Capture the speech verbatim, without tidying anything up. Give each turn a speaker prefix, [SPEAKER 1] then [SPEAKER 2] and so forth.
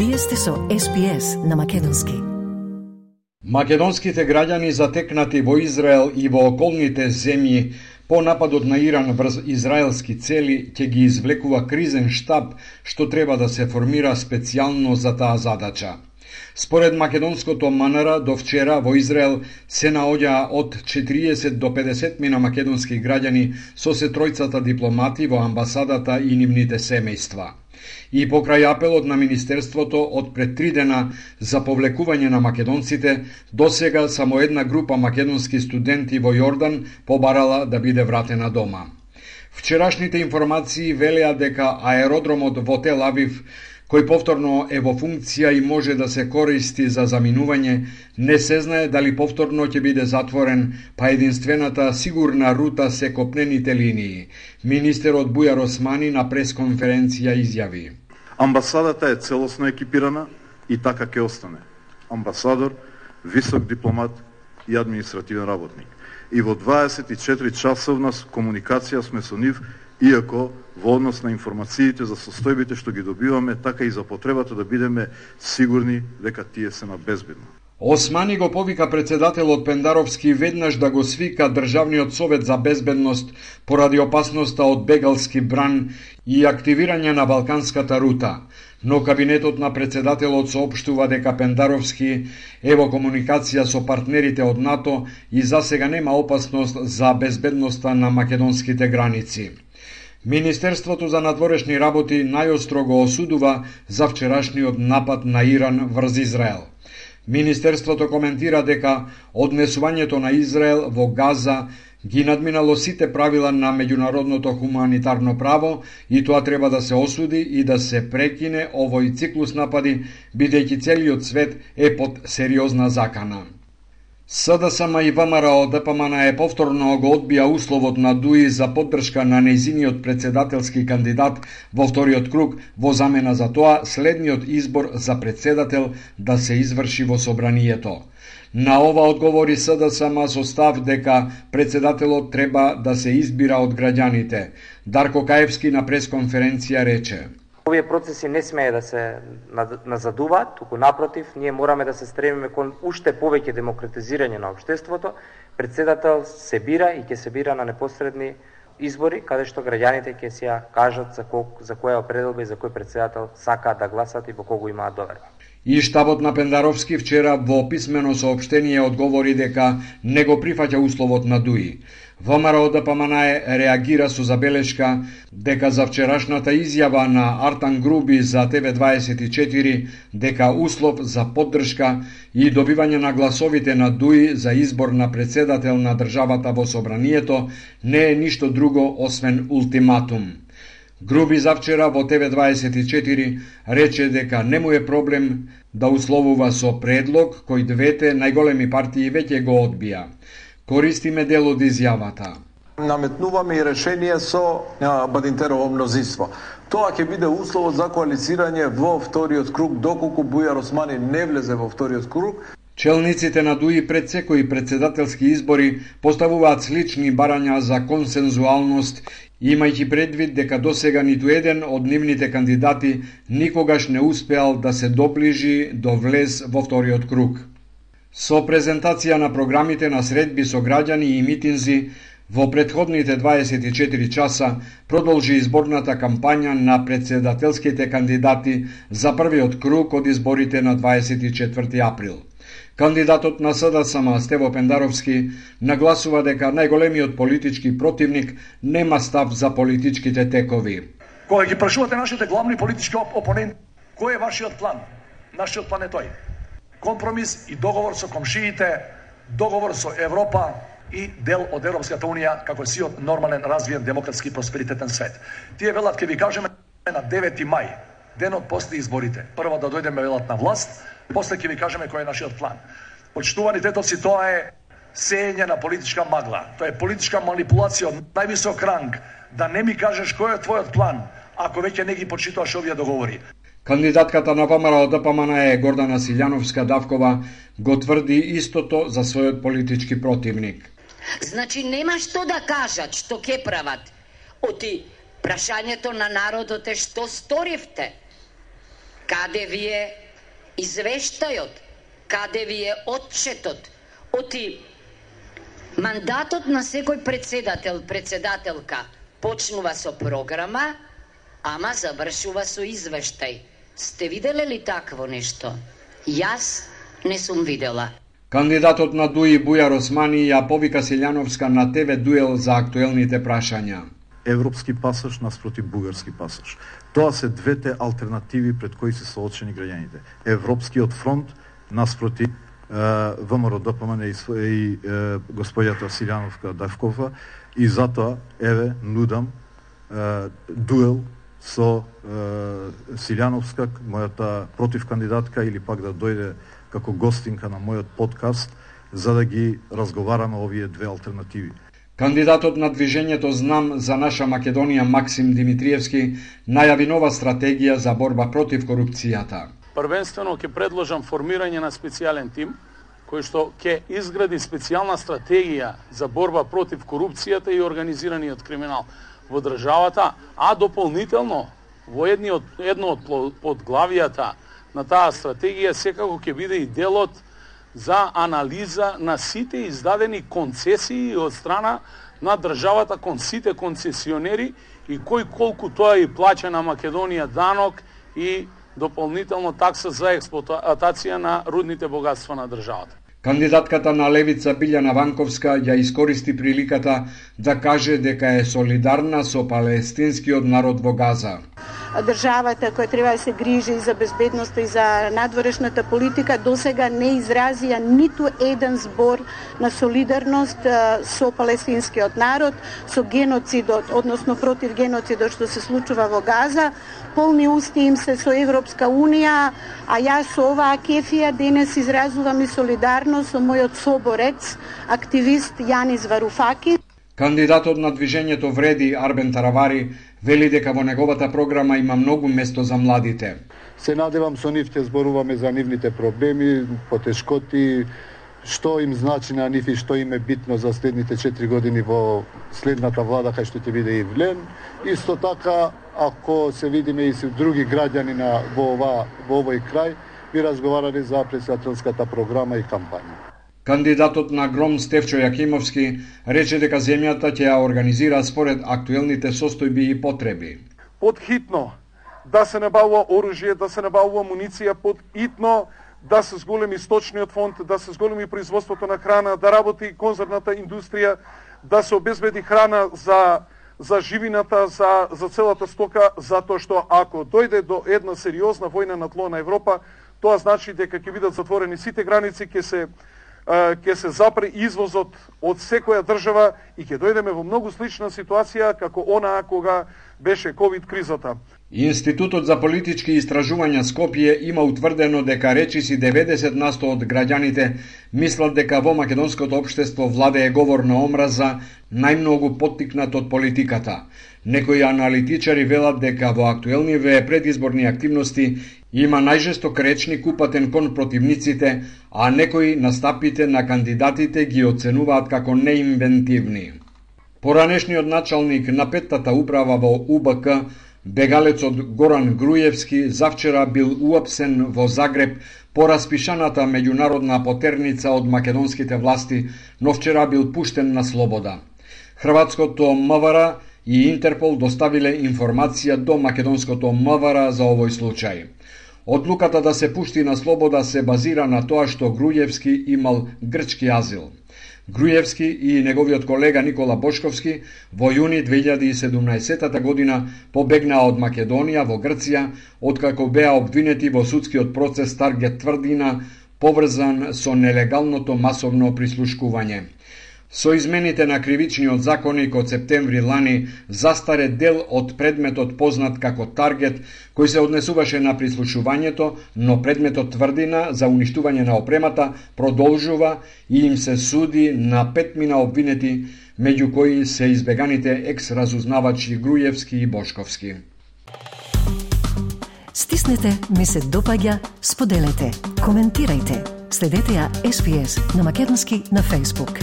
[SPEAKER 1] Вие сте со Ес Би Ес на македонски.
[SPEAKER 2] Македонските граѓани затекнати во Израел и во околните земји по нападот на Иран врз израелски цели ќе ги извлекува кризен штаб што треба да се формира специјално за таа задача. Според македонското М Н Р, до вчера во Израел се наоѓа од четириесет до педесет мина македонски граѓани со се тројцата дипломати во амбасадата и нивните семејства. И покрај апелот на Министерството од пред три дена за повлекување на македонците, досега само една група македонски студенти во Јордан побарала да биде вратена дома. Вчерашните информации велеа дека аеродромот во Тел Авив, кој повторно е во функција и може да се користи за заминување, не се знае дали повторно ќе биде затворен, па единствената сигурна рута се копнените линии. Министерот Бујар Османи на пресконференција изјави:
[SPEAKER 3] Амбасадата е целосно екипирана и така ќе остане. Амбасадор, висок дипломат и административен работник. И во дваесет и четири часовна комуникација сме со нив, иако во однос на информациите за состојбите што ги добиваме, така и за потребата да бидеме сигурни дека тие се на безбедно.
[SPEAKER 2] Османи го повика председателот Пендаровски веднаш да го свика Државниот совет за безбедност поради опасноста од бегалски бран и активирање на Балканската рута, но кабинетот на председателот соопштува дека Пендаровски е во комуникација со партнерите од НАТО и засега нема опасност за безбедноста на македонските граници. Министерството за надворешни работи најостро го осудува за вчерашниот напад на Иран врз Израел. Министерството коментира дека однесувањето на Израел во Газа ги надминало сите правила на меѓународното хуманитарно право и тоа треба да се осуди и да се прекине овој циклус напади, бидејќи целиот свет е под сериозна закана. С Д С М и В М Р О Д П М Н е повторно го одбија условот на Дуи за поддршка на нејзиниот председателски кандидат во вториот круг, во замена за тоа следниот избор за председател да се изврши во собранието. На ова одговори С Д С М со став дека председателот треба да се избира од граѓаните. Дарко Каевски на пресконференција рече:
[SPEAKER 4] Овие процеси не смее да се назадуваат, туку напротив, ние мораме да се стремиме кон уште повеќе демократизирање на општеството. Председател се бира и ќе се бира на непосредни избори, каде што граѓаните ќе си ја кажат за, кол, за која определба и за кој председател сакаат да гласат и во кого имаат доверба.
[SPEAKER 2] И штабот на Пендаровски вчера во писмено соопштение одговори дека не го прифаќа условот на Дуи. В М Р О Д П М Н е реагира со забелешка дека за вчерашната изјава на Артан Груби за Т В дваесет и четири дека услов за поддршка и добивање на гласовите на Дуи за избор на председател на државата во собранието не е ништо друго освен ултиматум. Груби завчера во Т В дваесет и четири рече дека не му е проблем да условува со предлог кој двете најголеми партии веќе го одбија. Користиме дел од изјавата.
[SPEAKER 5] Наметнуваме и решение со Бадинтерово мнозинство. Тоа ќе биде условот за коалицирање во вториот круг, доколку Бујар Османи не влезе во вториот круг.
[SPEAKER 2] Челниците на Дуи пред секои председателски избори поставуваат слични барања за консензуалност, имајќи предвид дека досега ниту еден од нивните кандидати никогаш не успеал да се доближи до влез во вториот круг. Со презентација на програмите на средби со граѓани и митинзи, во претходните дваесет и четири часа продолжи изборната кампања на председателските кандидати за првиот круг од изборите на дваесет и четврти април. Кандидатот на С Д С М Стево Пендаровски нагласува дека најголемиот политички противник нема став за политичките текови.
[SPEAKER 6] Кога ги прашувате нашите главни политички опоненти, кој е вашиот план? Нашиот план е тој: компромис и договор со комшиите, договор со Европа и дел од Европската Унија како сиот нормален, развиен, демократски и просперитетен свет. Тие велат, ќе ви кажеме на девети мај, денот после изборите. Прво да дојдеме велат на власт, после ќе ви кажеме кој е нашиот план. Почитувани тетовци, тоа е сеење на политичка магла. Тоа е политичка манипулација од највисок ранг, да не ми кажеш кој е твојот план, ако веќе не ги почитуваш овие договори.
[SPEAKER 2] Кандидатката на В М Р О Д П М Н е Гордана Силјановска-Давкова го тврди истото за својот политички противник.
[SPEAKER 7] Значи нема што да кажат, што ќе прават. Оти прашањето на народот е што сторивте. Каде ви е извештајот? Каде ви е отчетот? Оти мандатот на секој председател, председателка почнува со програма, ама завршува со извештај. Сте виделе ли такво нешто? Јас не сум видела.
[SPEAKER 2] Кандидатот на ДУИ Бујар Османи ја повика Силјановска на ТВ дуел за актуелните прашања.
[SPEAKER 3] Европски пасаж наспроти бугарски пасаж. Тоа се двете алтернативи пред кои се соочени граѓаните. Европскиот фронт наспроти ВМРО-ДПМН и, и господјата Силјановска Давкова, и затоа еве нудам е, дуел со е, Силјановска, мојата против кандидатка, или пак да дојде како гостинка на мојот подкаст, за да ги разговараме овие две алтернативи.
[SPEAKER 2] Кандидатот на движењето Знам за наша Македонија Максим Димитриевски најави нова стратегија за борба против корупцијата.
[SPEAKER 8] Првенствено ќе предложам формирање на специјален тим кој што ќе изгради специјална стратегија за борба против корупцијата и организираниот криминал во државата, а дополнително во едни од, едно од подглавијата на таа стратегија секако ќе биде и делот за анализа на сите издадени концесии од страна на државата кон сите концесионери и кој колку тоа и плаќа на Македонија данок и дополнително такса за експлоатација на рудните богатства на државата.
[SPEAKER 2] Кандидатката на Левица Билјана Ванковска ја искористи приликата да каже дека е солидарна со палестинскиот народ во Газа.
[SPEAKER 9] Државата која треба да се грижи за безбедноста и за надворешната политика досега не изразија ниту еден збор на солидарност со палестинскиот народ, со геноцидот, односно против геноцидот што се случува во Газа. Полни усти им се со Европска Унија, а јас со оваа кефија денес изразувам и солидарност со мојот соборец, активист Јанис Варуфаки.
[SPEAKER 2] Кандидатот на движењето Вреди Арбен Таравари вели дека во неговата програма има многу место за младите.
[SPEAKER 10] Се надевам со нив ќе зборуваме за нивните проблеми, потешкоти, што им значи на нив и што им е битно за следните четири години во следната влада кај што ќе биде и влен. Исто така, ако се видиме и со други граѓани на во ова во овој крај, би разговарали за председателската програма и кампања.
[SPEAKER 2] Кандидатот на Гром Стефчо Јакимовски рече дека земјата ќе ја организира според актуелните состојби и потреби.
[SPEAKER 11] Подхитно да се набавува оружје, да се набавува муниција, подхитно да се зголеми сточниот фонд, да се зголеми производството на храна, да работи конзервната индустрија, да се обезбеди храна за за живината, за за целата стока, затоа што ако дојде до една сериозна војна на тло на Европа, тоа значи дека ќе бидат затворени сите граници, ќе се ќе се запре извозот од секоја држава и ќе дојдеме во многу слична ситуација како онаа кога беше ковид кризата.
[SPEAKER 2] Институтот за политички истражувања Скопје има утврдено дека речиси деветдесет на сто од граѓаните мислат дека во македонското општество владее говор на омраза, најмногу поттикнат од политиката. Некои аналитичари велат дека во актуелниве предизборни активности има најжесток речник упатен кон противниците, а некои настапите на кандидатите ги оценуваат како неинвентивни. Поранешниот началник на петтата управа во У Б К, бегалецот Горан Груевски, завчера бил уапсен во Загреб по распишаната меѓународна потерница од македонските власти, но вчера бил пуштен на слобода. Хрватското М В Р и Интерпол доставиле информација до македонското М В Р за овој случај. Одлуката да се пушти на слобода се базира на тоа што Груевски имал грчки азил. Груевски и неговиот колега Никола Бошковски во јуни две илјади и седумнаесетта година побегнаа од Македонија во Грција, откако беа обвинети во судскиот процес Таргет Тврдина, поврзан со нелегалното масовно прислушкување. Со измените на кривичниот законник од септември лани застаре дел од предметот познат како Таргет, кој се однесуваше на прислушувањето, но предметот Тврдина за уништување на опремата продолжува и им се суди на петмина обвинети, меѓу кои се избеганите екс-разузнавачи Груевски и Бошковски.
[SPEAKER 1] Стиснете, ми се допаѓа, споделете, коментирајте. Следете ја Ес Би Ес на македонски на Facebook.